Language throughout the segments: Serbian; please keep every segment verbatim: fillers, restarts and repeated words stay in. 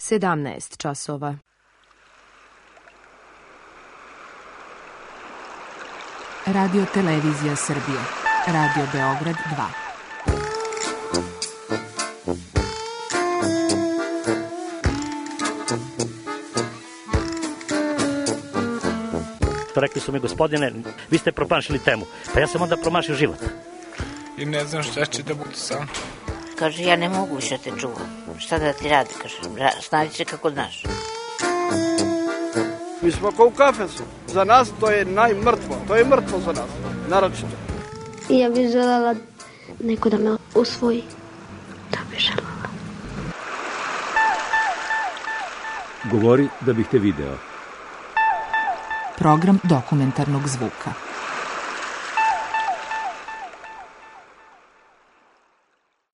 sedamnaest časova. Radio Televizija Srbije. Radio Beograd dva. Rekli su mi, gospodine, vi ste promašili temu. Pa ja sam onda promašio život. I ne znam šta će da bude sam. Kaže, ja ne mogu više te čuvam. Šta da ti radi, kaže, snađi se kako znaš. Mi smo kao u kafesu. Za nas to je najmrtvo. To je mrtvo za nas, naročito. I ja bih željela neko da me usvoji. Da bih željela. Govori da bih te video. Program dokumentarnog zvuka.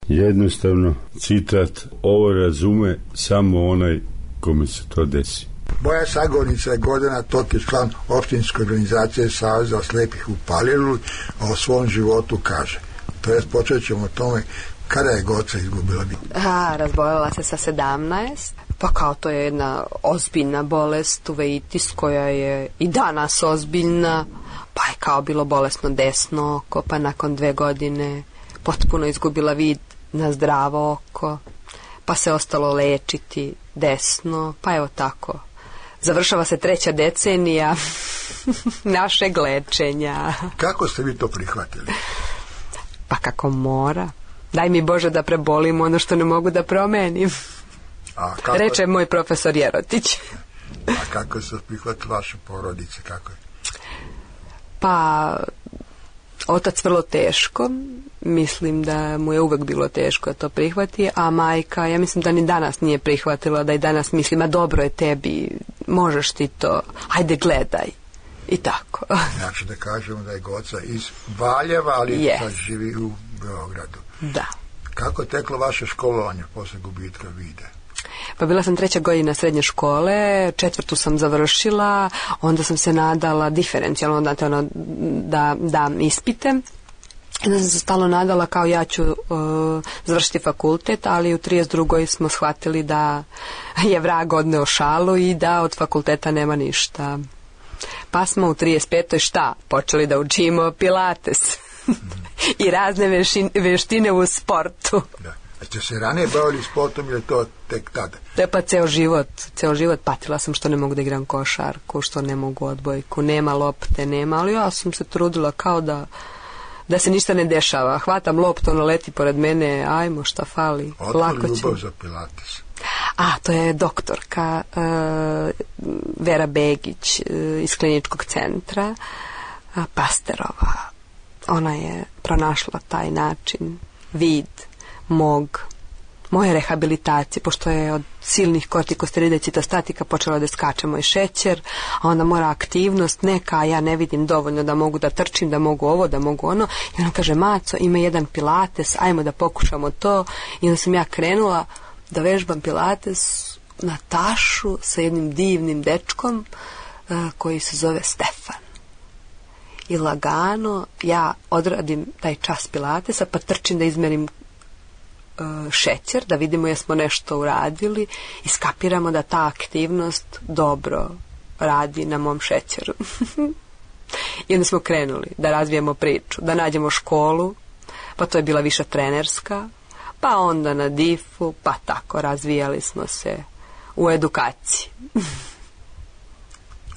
Jednostavno, citat, ovo razume samo onaj kome se to desi. Moja sagovornica je Gordana Tokić, član opštinske organizacije Saveza slepih u Paliluli, a o svom životu kaže. To jest, počet ćemo o tome kada je Goca izgubila vid. A, razboljela se sa sedamnaest. Pa kao to je jedna ozbiljna bolest, uveitis, koja je i danas ozbiljna, pa je kao bilo bolesno desno oko, pa nakon dve godine potpuno izgubila vid na zdravo oko, pa se ostalo lečiti desno, pa evo tako. Završava se treća decenija našeg lečenja. Kako ste vi to prihvatili? Pa kako mora. Daj mi Bože da prebolim ono što ne mogu da promenim. A kako... Reče moj profesor Jerotić. A kako se prihvatili vaše porodice? Kako je? Pa, otac vrlo teško. Mislim da mu je uvek bilo teško da to prihvati, a majka, ja mislim da ni danas nije prihvatila, da i danas mislim, a dobro je tebi, možeš ti to, ajde gledaj. I tako. Znači da kažemo da je Goca iz Valjeva, ali yes. Sad živi u Beogradu. Da. Kako je teklo vaše školovanje posle gubitka vida? Pa bila sam treća godina srednje škole, četvrtu sam završila, onda sam se nadala diferencijalno, znate, ono, da dam ispite. Onda sam se stalno nadala kao ja ću uh, završiti fakultet, ali u trideset drugoj smo shvatili da je vrag odneo šalu i da od fakulteta nema ništa. Pa smo u trideset petoj šta? Počeli da učimo pilates i razne vešine, veštine u sportu. Da. A ste se ranije bavili sportom ili to tek tada? Da, pa ceo život, ceo život patila sam što ne mogu da igram košarku, što ne mogu odbojku, nema lopte, nema, ali ja sam se trudila kao da da se ništa ne dešava. Hvatam loptu, ono leti pored mene, ajmo, šta fali. Otko ljubav za pilates? A, to je doktorka uh, Vera Begić uh, iz kliničkog centra, uh, Pasterova. Ona je pronašla taj način, vid mog, moje rehabilitacije, pošto je od silnih kortikosteroida i citostatika počela da skače moj šećer, a onda mora aktivnost neka, a ja ne vidim dovoljno da mogu da trčim, da mogu ovo, da mogu ono. I ona kaže, Maco, ima jedan pilates, ajmo da pokušamo to. I onda sam ja krenula da vežbam pilates na tašu sa jednim divnim dečkom uh, koji se zove Stefan. I lagano ja odradim taj čas pilatesa, pa trčim da izmerim šećer, da vidimo jesmo nešto uradili i skapiramo da ta aktivnost dobro radi na mom šećeru. I onda smo krenuli da razvijemo priču, da nađemo školu, pa to je bila više trenerska, pa onda na difu, pa tako razvijali smo se u edukaciji.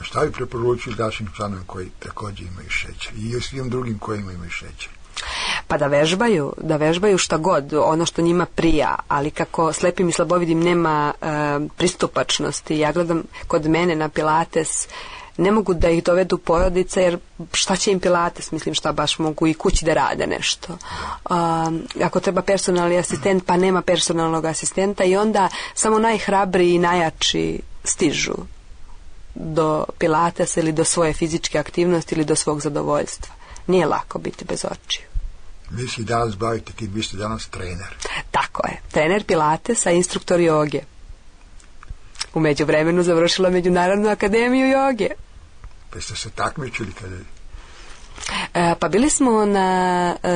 Šta bi preporučili našim članovima koji također imaju šećer i svim drugim kojima imaju šećer? Pa da vežbaju, da vežbaju šta god, ono što njima prija, ali kako slepim i slabovidim nema e, pristupačnosti. Ja gledam kod mene na pilates, ne mogu da ih dovedu porodice, jer šta će im pilates, mislim šta baš mogu i kući da rade nešto. Um, ako treba personalni asistent, pa nema personalnog asistenta i onda samo najhrabriji i najjači stižu do pilatesa ili do svoje fizičke aktivnosti ili do svog zadovoljstva. Nije lako biti bez očiju. Vi se danas bavite, kad vi ste danas trener. Tako je, trener pilatesa, instruktor joge. U međuvremenu završila Međunarodnu akademiju joge. Pa ste se takmičili kada je? E, pa bili smo na e,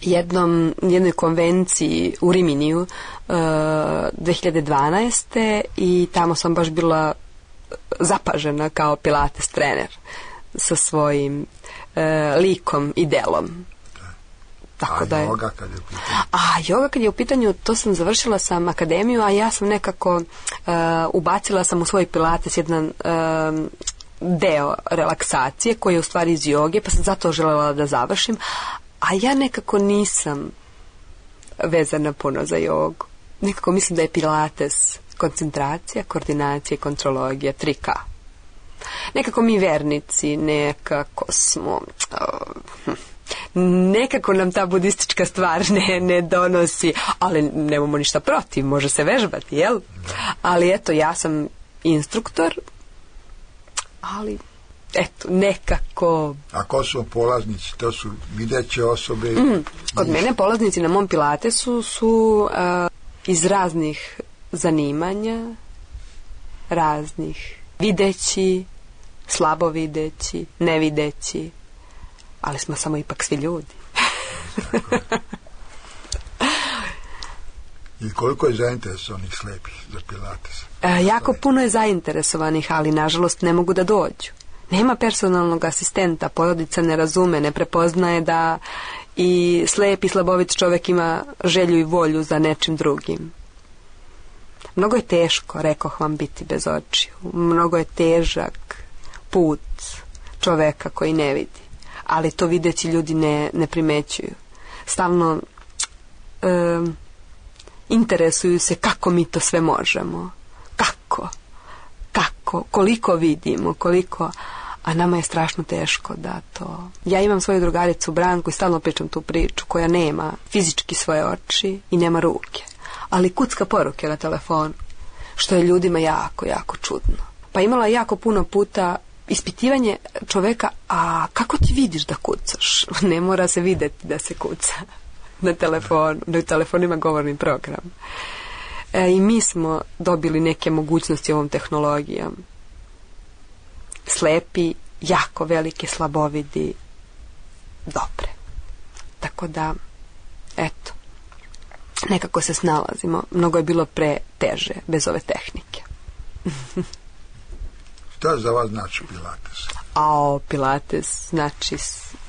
jednom, jednoj konvenciji u Riminiju uh, dve hiljade dvanaeste. i tamo sam baš bila zapažena kao pilates trener sa svojim uh, likom i delom. Tako a da je... joga kad je u pitanju? A joga kad je u pitanju, to sam završila sam akademiju, a ja sam nekako uh, ubacila sam u svoj pilates jedan uh, deo relaksacije koji je u stvari iz joge, pa sam zato želela da završim, a ja nekako nisam vezana puno za jogu. Nekako mislim da je pilates koncentracija, koordinacija i kontrologija, tri ka. Nekako mi vernici, nekako smo... Uh, nekako nam ta budistička stvar ne, ne donosi, ali nemamo ništa protiv, može se vežbati, jel? Ali eto, ja sam instruktor, ali eto, nekako... A ko su polaznici? To su videće osobe? Mm, kod mene polaznici na mom pilatesu su uh, iz raznih zanimanja, raznih videći, slabo videći, nevideći, ali smo samo ipak svi ljudi. I koliko je zainteresovanih slepih za pilates? E, jako puno je zainteresovanih, ali nažalost ne mogu da dođu. Nema personalnog asistenta, porodica ne razume, ne prepoznaje da i slep i slabovit čovjek ima želju i volju za nečim drugim. Mnogo je teško, rekoh vam, biti bez očiju. Mnogo je težak put čoveka koji ne vidi. Ali to videći ljudi ne, ne primećuju. Stalno e, interesuju se kako mi to sve možemo. Kako? Kako? Koliko vidimo? Koliko... A nama je strašno teško da to... Ja imam svoju drugaricu Branku i stalno pričam tu priču koja nema fizički svoje oči i nema ruke. Ali kucka poruke na telefonu. Što je ljudima jako, jako čudno. Pa imala jako puno puta ispitivanje čoveka, a kako ti vidiš da kucaš? Ne mora se vidjeti da se kuca na telefonu. Na telefonu ima govorni program. E, I mi smo dobili neke mogućnosti ovom tehnologijom. Slepi, jako velike, slabovidi, dobre. Tako da, eto, nekako se snalazimo. Mnogo je bilo pre teže bez ove tehnike. Šta za vas znači pilates? A pilates znači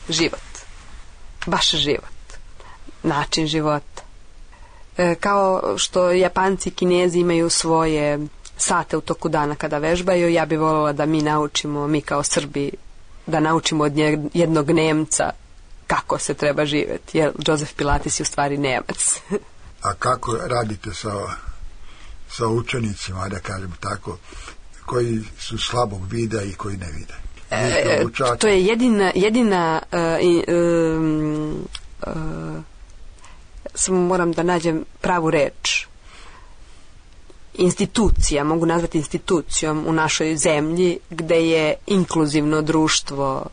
život. Baš život. Način života. E, kao što Japanci i Kinezi imaju svoje sate u toku dana kada vežbaju, ja bih voljela da mi naučimo, mi kao Srbi, da naučimo od jednog Nemca kako se treba živjeti. Jer Joseph Pilates je u stvari Nemac. A kako radite sa, sa učenicima, da kažem tako, koji su slabog vida i koji ne vide? E, to je jedina, jedina uh, um, uh, samo moram da nađem pravu reč. Institucija, mogu nazvati institucijom u našoj zemlji gde je inkluzivno društvo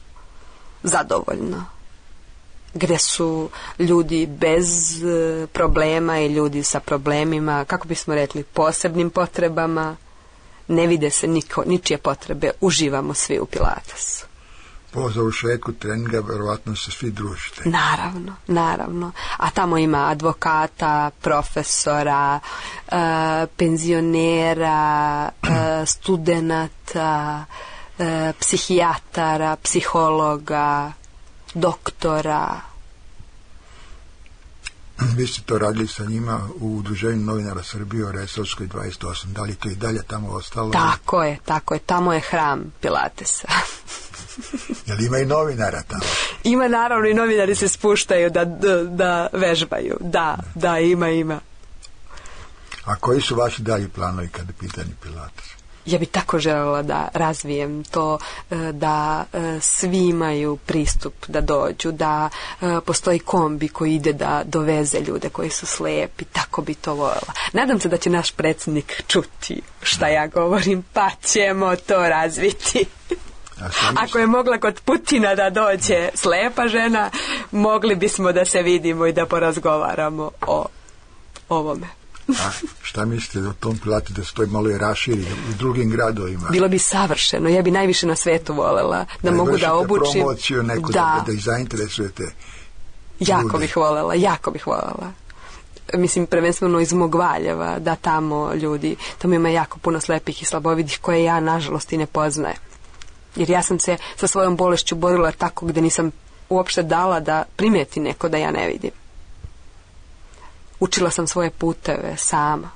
zadovoljno. Gde su ljudi bez problema i ljudi sa problemima, kako bismo rekli, posebnim potrebama. Ne vide se niko, ničije potrebe, uživamo svi u pilatesu. Po završetku treninga verovatno se svi družite. Naravno, naravno. A tamo ima advokata, profesora, uh, penzionera, uh, studenata, uh, psihijatara, psihologa, doktora. Vi ste to radili sa njima u Udruženju novinara Srbije o Resavskoj dvadeset osam. Da li to i dalje tamo ostalo? Tako je, tako je. Tamo je hram pilatesa. Jel ima i novinara tamo? Ima, naravno, i novinari se spuštaju da, da, da vežbaju. Da, da, ima, ima. A koji su vaši dalji planovi kada je pitanje pilates? Ja bih tako željela da razvijem to, da svi imaju pristup da dođu, da postoji kombi koji ide da doveze ljude koji su slepi, tako bi to voljela. Nadam se da će naš predsjednik čuti šta ja govorim, pa ćemo to razviti. Ako je mogla kod Putina da dođe slepa žena, mogli bismo da se vidimo i da porazgovaramo o ovome. A šta mislite o tom pilatesu da se to malo i raširi u drugim gradovima? Bilo bi savršeno. Ja bi najviše na svetu voljela da, da mogu da obučim. Promociju neku, da, da, da ih zainteresujete. Jako Bude. bih voljela, jako bih voljela. Mislim, prvenstveno iz mog Valjeva, da tamo ljudi, tamo ima jako puno slepih i slabovidih koje ja, nažalost, i ne poznajem. Jer ja sam se sa svojom bolešću borila tako gde nisam uopšte dala da primeti neko da ja ne vidim. Učila sam svoje puteve sama.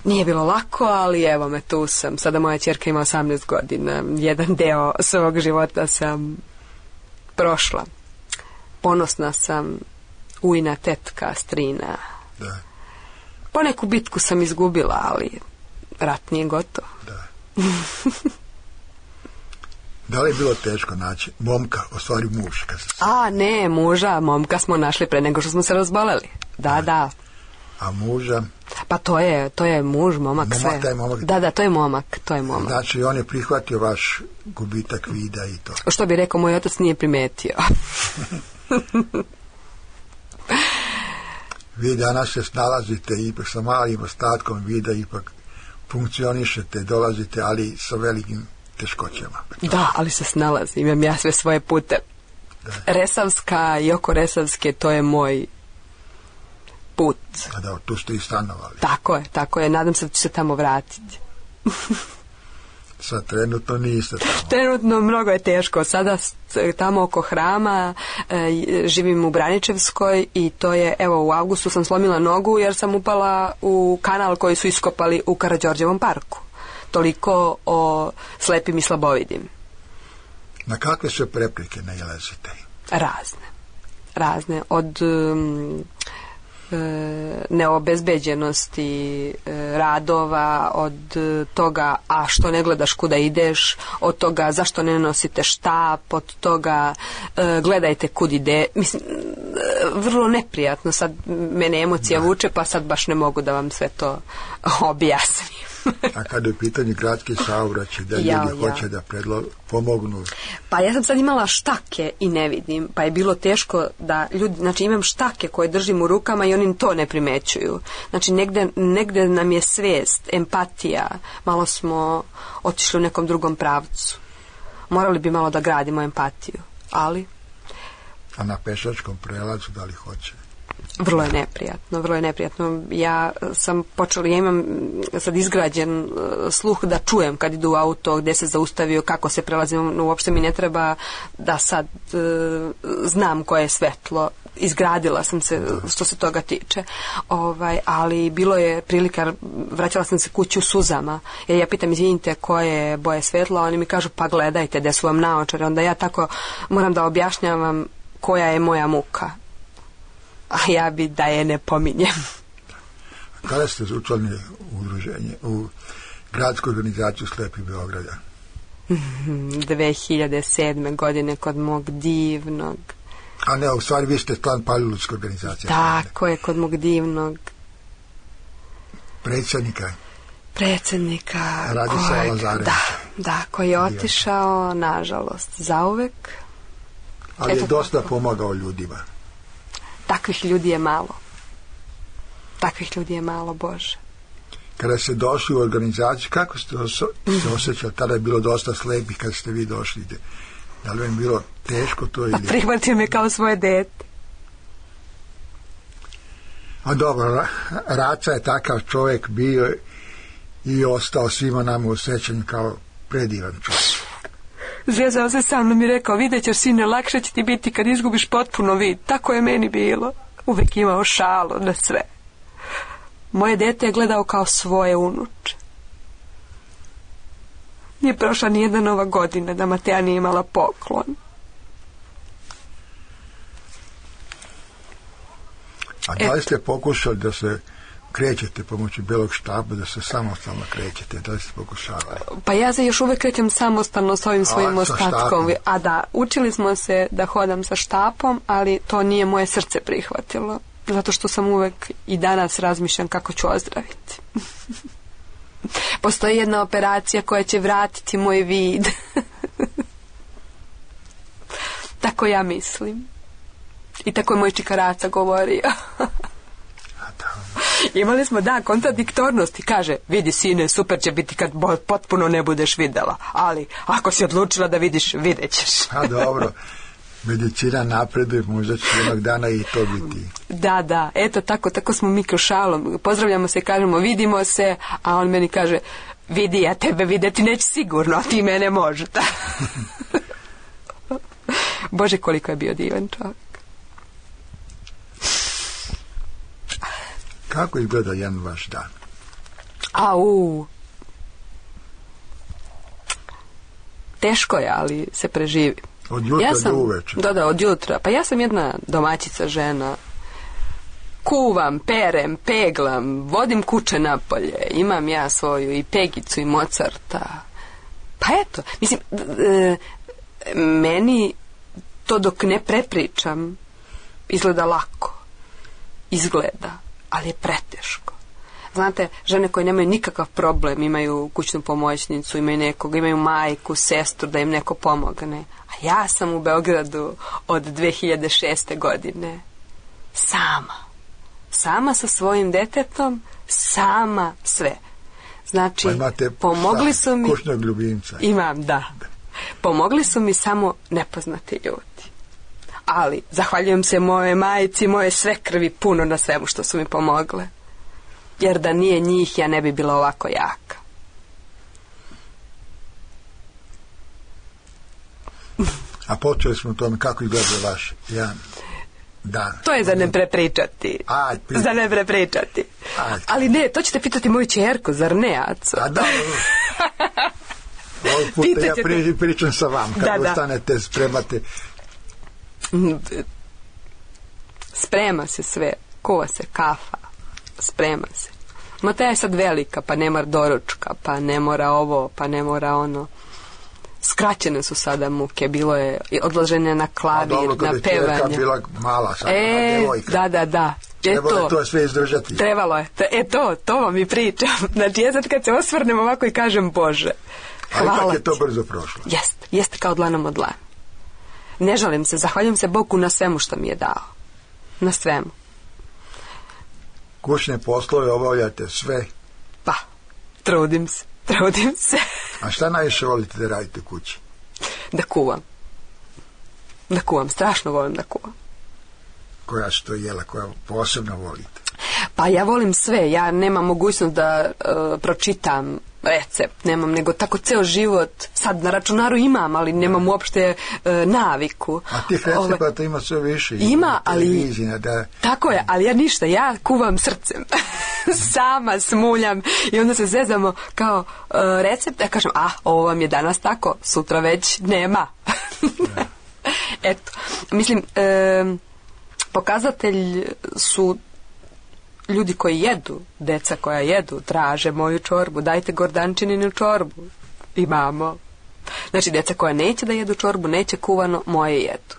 Nije bilo lako, ali evo me, tu sam. Sada moja ćerka ima osamnaest godina. Jedan deo svog života sam prošla. Ponosna sam, ujna, tetka, strina. Da. Poneku bitku sam izgubila, ali rat nije gotov. Da. Da li je bilo teško naći momka, u stvari muž? Kad se... A, ne, muža, momka smo našli pre nego što smo se razboleli. Da, da. A muža? Pa to je, to je muž, momak, Momak, sve. taj momak. Da, da, to je momak, to je momak. Znači, on je prihvatio vaš gubitak vida i to. Što bi rekao, moj otac nije primetio. Vi danas se snalazite ipak sa malim ostatkom vida, ipak funkcionišete, dolazite, ali sa velikim teškoćama. Da, ali se snalazim, imam ja sve svoje pute. Da. Resavska i oko Resavske, to je moj put. A da, tu ste i stanovali. Tako je, tako je, nadam se da ću se tamo vratiti. Sad trenutno niste tamo. Trenutno mnogo je teško. Sada tamo oko hrama e, živim u Braničevskoj i to je, evo, u avgustu sam slomila nogu jer sam upala u kanal koji su iskopali u Karađorđevom parku. Toliko o slepim i slabovidim. Na kakve sve prepreke nailazite? Razne. Razne. Od um, neobezbeđenosti radova, od toga a što ne gledaš kuda ideš, od toga zašto ne nosite štap, od toga gledajte kud ide. Mislim, vrlo neprijatno. Sad mene emocija da. vuče, pa sad baš ne mogu da vam sve to objasnim. A kada je u pitanju gradski saobraćaj, da ljudi ja, hoće ja. da predlo, pomognu? Pa ja sam sad imala štake i ne vidim, pa je bilo teško da ljudi, znači imam štake koje držim u rukama i oni to ne primećuju. Znači negde, negde nam je svest, empatija, malo smo otišli u nekom drugom pravcu. Morali bi malo da gradimo empatiju, ali... A na pešačkom prelazu da li hoće? Vrlo je neprijatno, vrlo je neprijatno. Ja sam počela, ja imam sad izgrađen sluh da čujem kad idu u auto, gde se zaustavio, kako se prelazim, uopšte mi ne treba da sad e, znam koje je svetlo. Izgradila sam se što se toga tiče. Ovaj, ali bilo je prilika, vraćala sam se kući u suzama, jer ja pitam, izvinite, koje boje svetla, oni mi kažu, pa gledajte, gde su vam naočare. Onda ja tako moram da objašnjavam koja je moja muka. A ja bi da je ne pominjem. Kada ste učlanili u udruženje, u gradsku organizaciju Slepih Beograda? dve hiljade sedme. godine kod mog divnog. A ne, u stvari vi ste član Paliludske organizacije. Tako je, kod mog divnog predsjednika. Predsjednika. Radislava Lazarevića. Da, da, koji je otišao, nažalost, zauvek. Ali Eto, je dosta pomagao ljudima. Takvih ljudi je malo. Takvih ljudi je malo, Bože. Kada ste došli u organizaciju, kako ste oso- se osjećali? Tada je bilo dosta slepih kada ste vi došli. Da li vam bilo teško to? Ili... Prihvatio me kao svoje dete. A dobro, Raca je takav čovjek bio i ostao svima nama u sećanju kao predivan čovjek. Zvezao se sa mnom i rekao, vidjet ćeš, sine, lakše će ti biti kad izgubiš potpuno vid. Tako je meni bilo. Uvijek imao šalu na sve. Moje dete je gledao kao svoje unuče. Nije prošla nijedna nova godina da Mateja nije imala poklon. A da li ste pokušali da se krećete pomoću belog štapa, da se samostalno krećete? Da li ste pokušavali? Pa ja se još uvijek krećem samostalno s ovim svojim A, ostatkom. A da, učili smo se da hodam sa štapom, ali to nije moje srce prihvatilo. Zato što sam uvijek i danas razmišljam kako ću ozdraviti. Postoji jedna operacija koja će vratiti moj vid. Tako ja mislim. I tako je moj čikaraca govorio. Imali smo, da, kontradiktornosti. Kaže, vidi, sine, super će biti kad potpuno ne budeš videla. Ali, ako si odlučila da vidiš, vidjet ćeš. A dobro. Medicina napreduje, možda će jednog dana i to biti. Da, da, eto tako, tako smo mi kroz šalom. Pozdravljamo se, kažemo vidimo se, a on meni kaže vidi, ja tebe videti neće sigurno, a ti mene možda. Bože, koliko je bio divan čovjek. Kako izgleda jedan vaš dan? Au. Teško je, ali se preživi. Od jutra ja sam, do uveče. Da, da, od jutra. Pa ja sam jedna domaćica žena. Kuvam, perem, peglam, vodim kuće napolje. Imam ja svoju i Pegicu i Mozarta. Pa eto, mislim, e, meni to dok ne prepričam izgleda lako. Izgleda, ali je preteško. Znate, žene koje nemaju nikakav problem, imaju kućnu pomoćnicu, imaju nekog, imaju majku, sestru, da im neko pomogne. A ja sam u Beogradu od dve hiljade šeste. godine. Sama. Sama sa svojim detetom, sama sve. Znači, pa pomogli su mi... kućnog ljubimca. Imam, da. Pomogli su mi samo nepoznati ljudi. Ali, zahvaljujem se moje majici, moje svekrvi puno na svemu što su mi pomogle. Jer da nije njih, ja ne bi bila ovako jaka. A počeli smo o tome kako izgleda vaš jedan dan. To je za ne prepričati. Aj, pri... Za ne prepričati. Aj. Ali ne, to ćete pitati moju čerku, zar ne, Aco? A da, ovog puta ja pri, pričam sa vam. Kako da, stanete, spremate? Sprema se sve. Kuva se kafa. Sprema se. Mateja je sad velika, pa ne mora doručka, pa ne mora ovo, pa ne mora ono. Skraćene su sada muke, bilo je odloženje na klavir, dobro, na pevanje. A bila mala sad, e, devojka. Da, da, da. Trebalo je to sve izdržati. Trebalo je. E to, to vam i pričam. Znači, ja sad kad se osvrnem ovako i kažem Bože, hvala. A ipak je to brzo prošlo. Jeste, jeste kao dlanom od dlana. Ne žalim se, zahvaljujem se Bogu na svemu što mi je dao. Na svemu. Kućne poslove obavljate sve? Pa, trudim se, trudim se. A šta najviše volite da radite kući? Da kuvam. Da kuvam, strašno volim da kuvam. Koja su to jela, koja posebno volite? Pa ja volim sve, ja nemam mogućnost da uh, pročitam recept, nemam, nego tako ceo život, sad na računaru imam, ali nemam uopšte uh, naviku. A tih recepata ima sve više. Ima, ali... Da... Tako je, ali ja ništa, ja kuvam srcem. Sama smuljam i onda se zezamo kao uh, recept, ja kažem, a, ovo vam je danas tako, sutra već nema. Eto, mislim, um, pokazatelj su ljudi koji jedu, deca koja jedu, traže moju čorbu, dajte Gordančininu čorbu. Imamo. Znači, deca koja neće da jedu čorbu, neće kuvano, moje jedu.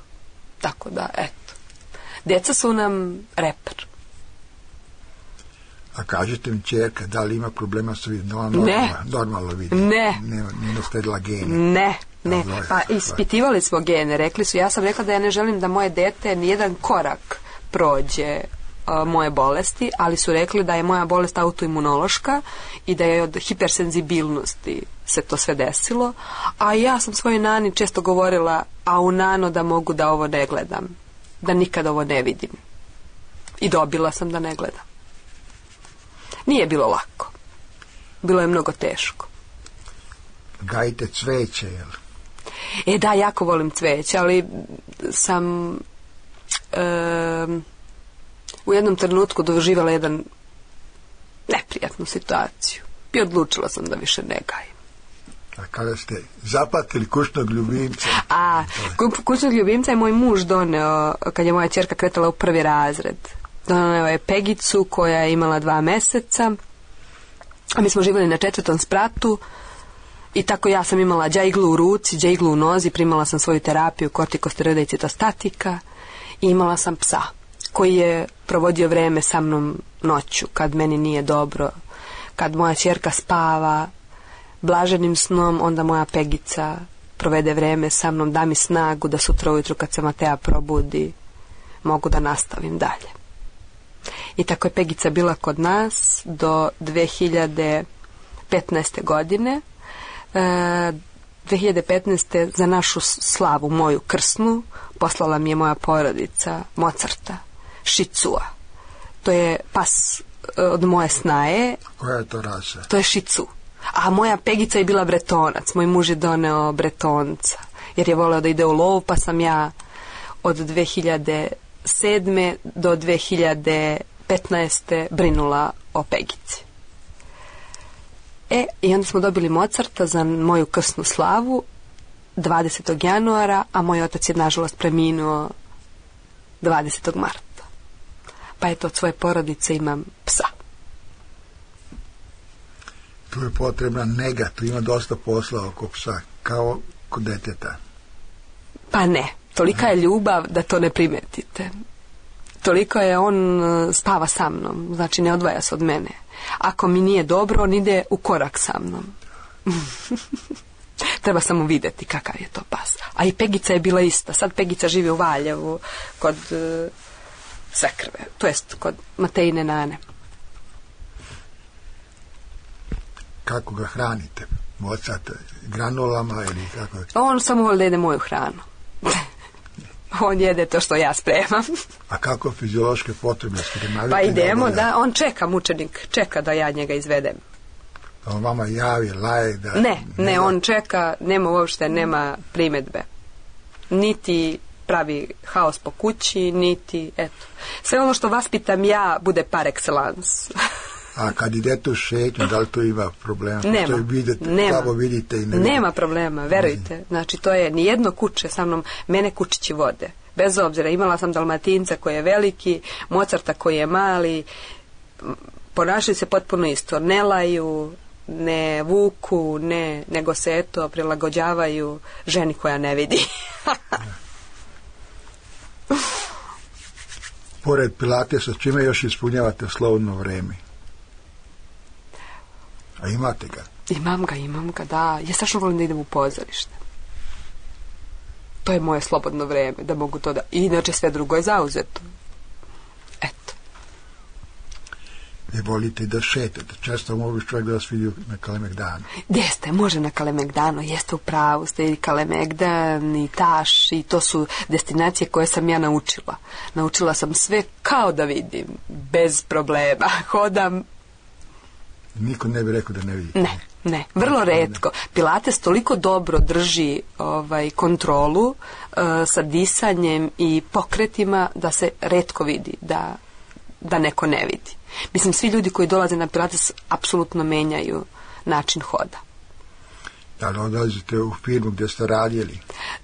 Tako da, eto. Deca su nam reper. A kažete mi, čerka, da li ima problema sa vidom? Normalno, ne. Normalno vidim. Ne. Nije sledila gene. Ne. Ne, pa ispitivali smo gene, rekli su, ja sam rekla da ja ne želim da moje dete nijedan korak prođe uh, moje bolesti, ali su rekli da je moja bolest autoimunološka i da je od hipersenzibilnosti se to sve desilo, a ja sam svojoj nani često govorila, a u nano da mogu da ovo ne gledam, da nikad ovo ne vidim. I dobila sam da ne gledam. Nije bilo lako. Bilo je mnogo teško. Gajite cveće, jel? E da, jako volim cveće, ali sam e, u jednom trenutku doživala jedan neprijatnu situaciju i odlučila sam da više ne gajim. A kada ste zapatili kućnog ljubimca? A, kućnog ljubimca je moj muž doneo kad je moja ćerka kretala u prvi razred. Doneo je Pegicu koja je imala dva meseca, a mi smo živjeli na četvrtom spratu. I tako ja sam imala džajglu u ruci, džajglu u nozi, primala sam svoju terapiju kortikosteroida i citostatika i imala sam psa koji je provodio vreme sa mnom noću kad meni nije dobro, kad moja ćerka spava blaženim snom, onda moja Pegica provede vreme sa mnom, da mi snagu da sutra ujutru kad se Mateja probudi mogu da nastavim dalje. I tako je Pegica bila kod nas do dve hiljade petnaeste. godine. dve hiljade petnaeste. za našu slavu, moju krsnu, poslala mi je moja porodica Mozarta, Šicua. To je pas od moje snaje. Koja je to rasa? To je Šicu. A moja Pegica je bila Bretonac. Moj muž je doneo Bretonca. Jer je voleo da ide u lov, pa sam ja od dve hiljade sedme do dve hiljade petnaeste brinula o Pegici. E, i onda smo dobili Mozarta za moju krsnu slavu dvadesetog januara, a moj otac je nažalost preminuo dvadesetog marta. Pa eto, od svoje porodice imam psa. Tu je potrebna nega, tu ima dosta posla oko psa, kao kod deteta. Pa ne, tolika je ljubav da to ne primetite. Toliko je on spava sa mnom, znači ne odvaja se od mene. Ako mi nije dobro, on ide u korak sa mnom. Treba samo vidjeti kakav je to pas. A i Pegica je bila ista. Sad Pegica živi u Valjevu kod uh, Sekrve, to jest kod Matejine nane. Kako ga hranite? Mozart granulama ili kako? On samo voli da jede moju hranu. On jede to što ja spremam. A kako fiziološke potrebe? Pa idemo, da, on čeka, mučenik, čeka da ja njega izvedem. On vama javi, laje da... Ne, ne, on čeka, nema uopšte, nema primedbe. Niti pravi haos po kući, niti, eto. Sve ono što vaspitam ja bude par excellence. A kad idete u šetnju, da li to ima problema? Nema, vidite, nema, vidite i ne nema problema, verujte. Znači, to je nijedno kuće sa mnom, mene kučići vode. Bez obzira, imala sam Dalmatinca koji je veliki, Mozarta koji je mali, ponašaju se potpuno isto, ne laju, ne vuku, ne, nego se eto prilagođavaju ženi koja ne vidi. Pored Pilatesa, čime još ispunjavate slobodno vrijeme? A imate ga? Imam ga, imam ga, da. Ja strašno volim da idem u pozorište. To je moje slobodno vrijeme, da mogu to da... I inače sve drugo je zauzeto. Eto. Ne volite da šetate. Često može čovjek da vas vidi na Kalemegdanu. Jeste, može na Kalemegdanu, jeste u pravu, ste i Kalemegdan i Taš i to su destinacije koje sam ja naučila. Naučila sam sve kao da vidim, bez problema. Hodam. Niko ne bi rekao da ne vidite. Ne, ne, vrlo retko. Pilates toliko dobro drži ovaj, kontrolu uh, sa disanjem i pokretima da se retko vidi, da, da neko ne vidi. Mislim, svi ljudi koji dolaze na Pilates apsolutno menjaju način hoda. Da li odlazite u firmu gdje ste radili?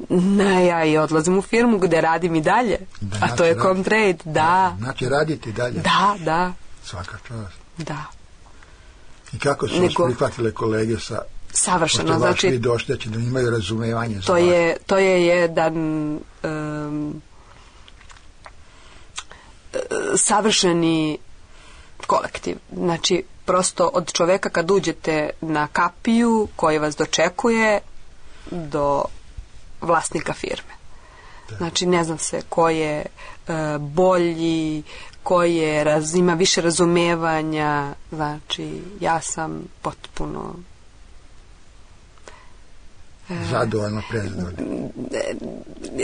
Ne, ja i odlazim u firmu gdje radim i dalje. Da, a to je Comtrade, da. Znači radite i dalje? Da, da. Svaka čast. Da. I kako su Nego, vas prihvatile kolege sa... Savršeno, znači... Vi došteći da imaju razumevanje za to vas. Je, to je jedan um, savršeni kolektiv. Znači, prosto od čoveka kad uđete na kapiju koji vas dočekuje do vlasnika firme. Da. Znači, ne znam se ko je uh, bolji, ko je raz, ima više razumevanja. Znači, ja sam potpuno zadovoljna, prezadovoljna.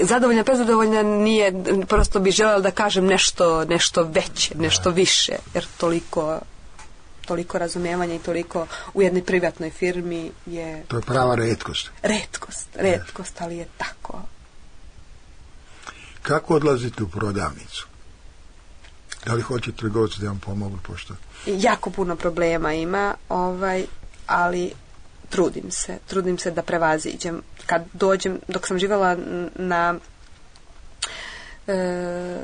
Zadovoljna, prezadovoljna nije, prosto bi željela da kažem nešto, nešto veće, nešto više, jer toliko toliko razumevanja i toliko u jednoj privatnoj firmi je... To je prava retkost. Retkost, retkost, ali je tako. Kako odlazite u prodavnicu? Da li hoće trgovci da vam pomogu, pošto? Jako puno problema ima, ovaj, ali trudim se, trudim se da prevaziđem. Kad dođem, dok sam živjela na e,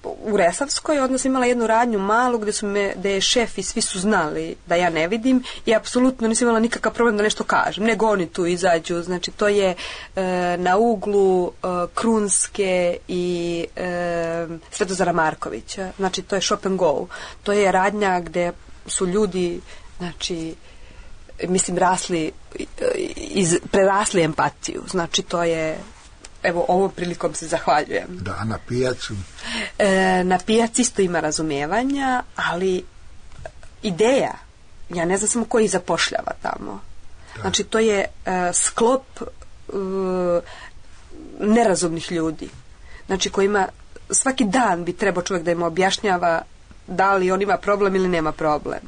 u Resavskoj, onda sam imala jednu radnju malu gdje su me, gdje je šef i svi su znali da ja ne vidim i apsolutno nisam imala nikakav problem da nešto kažem, nego oni tu izađu. Znači to je e, na uglu e, Krunske i e, Svetozara Markovića. Znači to je shop and go. To je radnja gdje su ljudi, znači mislim rasli iz, prerasli empatiju. Znači to je, evo ovom prilikom se zahvaljujem. Da, na pijacu? E, na pijaci isto ima razumijevanja, ali ideja, ja ne znam samo ko ih zapošljava tamo. Da. Znači to je e, sklop e, nerazumnih ljudi. Znači kojima svaki dan bi trebao čovjek da im objašnjava da li on ima problem ili nema problem.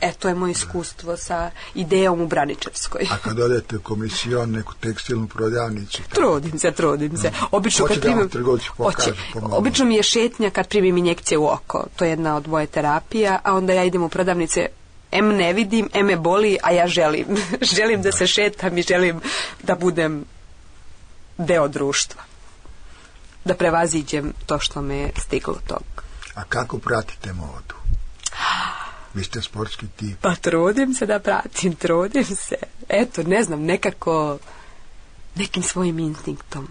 E, to je moje iskustvo sa idejom u Braničevskoj. A kad odete u komisijon, neku tekstilnu prodavnicu? Trudim se, trudim se. Obično, kad primim, pokaže, obično mi je šetnja kad primim injekcije u oko. To je jedna od moje terapija, a onda ja idem u prodavnice, em ne vidim, em me boli, a ja želim. želim da se šetam i želim da budem deo društva. Da prevaziđem to što me je stiglo tog. A kako pratite modu? Vi ste sportski tip. Pa trudim se da pratim, trudim se. Eto, ne znam, nekako nekim svojim instinktom.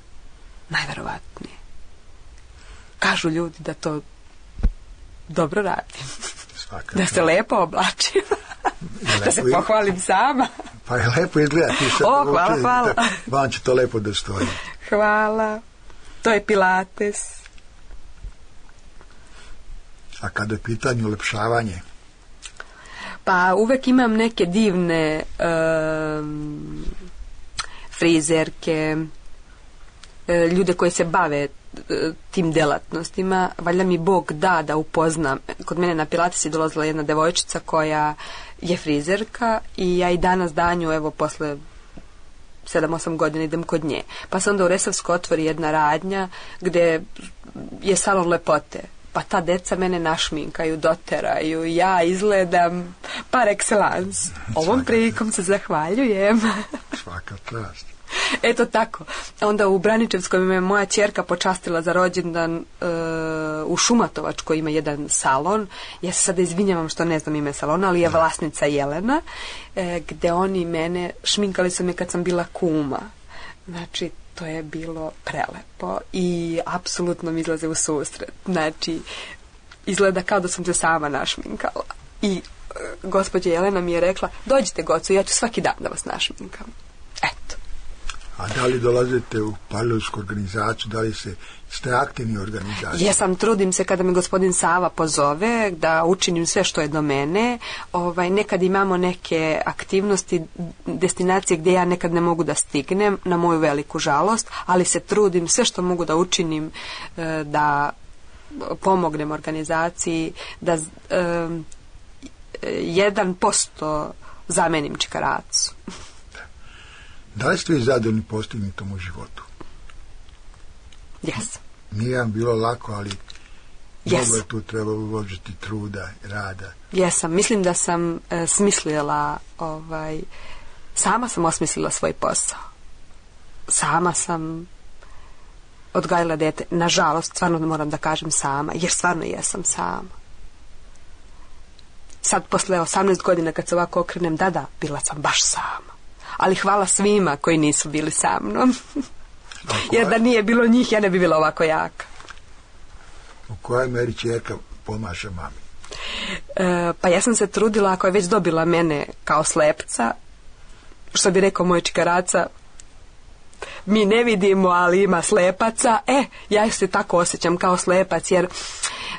Najverovatnije. Kažu ljudi da to dobro radim. Svaka da se lepo oblačim. da se pohvalim sama. Pa je lepo izgleda. O, hvala, hvala. Da, vam će to lepo da stoji. Hvala. To je pilates. A kada je pitanje ulepšavanje? Pa uvek imam neke divne um, frizerke, ljude koji se bave tim delatnostima. Valjda mi Bog da da upoznam. Kod mene na pilates je dolazila jedna devojčica koja je frizerka i ja i danas danju, evo, posle sedam osam godina idem kod nje. Pa se onda u Resavskoj otvori jedna radnja gde je salon lepote. Pa ta deca mene našminkaju, doteraju, ja izgledam par excellence. Ovom prilikom se zahvaljujem. Svaka čast. Eto tako. Onda u Braničevskoj me moja ćerka počastila za rođendan e, u Šumatovačkoj ima jedan salon. Ja se sada izvinjavam što ne znam ime salona, ali je vlasnica Jelena, e, gde oni mene, šminkali su me kad sam bila kuma. Znači, to je bilo prelepo i apsolutno mi izlaze u susret. Znači, izgleda kao da sam se sama našminkala. I e, gospođa Jelena mi je rekla, dođite Gocu, ja ću svaki dan da vas našminkam. Eto. A da li dolazite u palilovsku organizaciju, da li se, ste aktivni u organizaciji? Jesam, trudim se kada me gospodin Sava pozove da učinim sve što je do mene. Ovaj, nekad imamo neke aktivnosti, destinacije gdje ja nekad ne mogu da stignem, na moju veliku žalost, ali se trudim sve što mogu da učinim e, da pomognem organizaciji, da jedan posto zamenim čikaracu. Da li ste vi zadovoljni postignutom u životu? Jesam. Nije vam bilo lako, ali yes. mnogo je tu trebalo uložiti truda, rada. Jesam. Mislim da sam e, smislila, ovaj, sama sam osmislila svoj posao. Sama sam odgajila dete. Nažalost, stvarno moram da kažem sama, jer stvarno jesam sama. Sad, posle osamnaest godina, kad se ovako okrenem, da, da, bila sam baš sama. Ali hvala svima koji nisu bili sa mnom. Jer da nije bilo njih, ja ne bi bila ovako jaka. U kojoj meri ćerka pomaže mami? E, pa ja sam se trudila, ako je već dobila mene kao slepca, što bi rekao moj čikaraca, mi ne vidimo, ali ima slepaca. E, ja se tako osjećam kao slepac, jer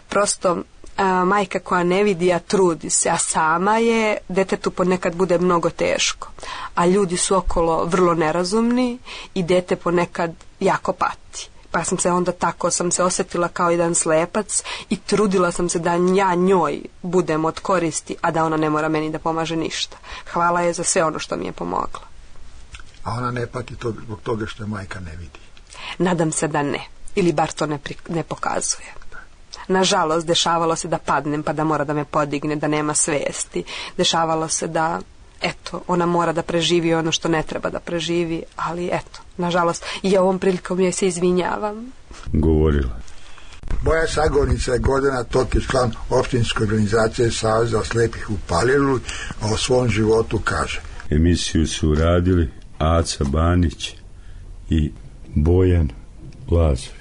prosto a, majka koja ne vidi, a trudi se, a sama je, detetu ponekad bude mnogo teško. A ljudi su okolo vrlo nerazumni i dete ponekad jako pati. Pa sam se onda tako, sam se osjetila kao jedan slepac i trudila sam se da ja njoj budem od koristi, a da ona ne mora meni da pomaže ništa. Hvala je za sve ono što mi je pomogla. A ona ne pati to, zbog toga što je majka ne vidi? Nadam se da ne. Ili bar to ne, pri, ne pokazuje. Nažalost, dešavalo se da padnem pa da mora da me podigne, da nema svesti. Dešavalo se da, eto, ona mora da preživi ono što ne treba da preživi, ali eto, nažalost, i ovom prilikom joj se izvinjavam. Govorila. Moja sagovornica je Gordana Tokić, član opštinske organizacije Saveza slepih u Paliluli, a o svom životu kaže. Emisiju su uradili Aca Banić i Bojan Lazović.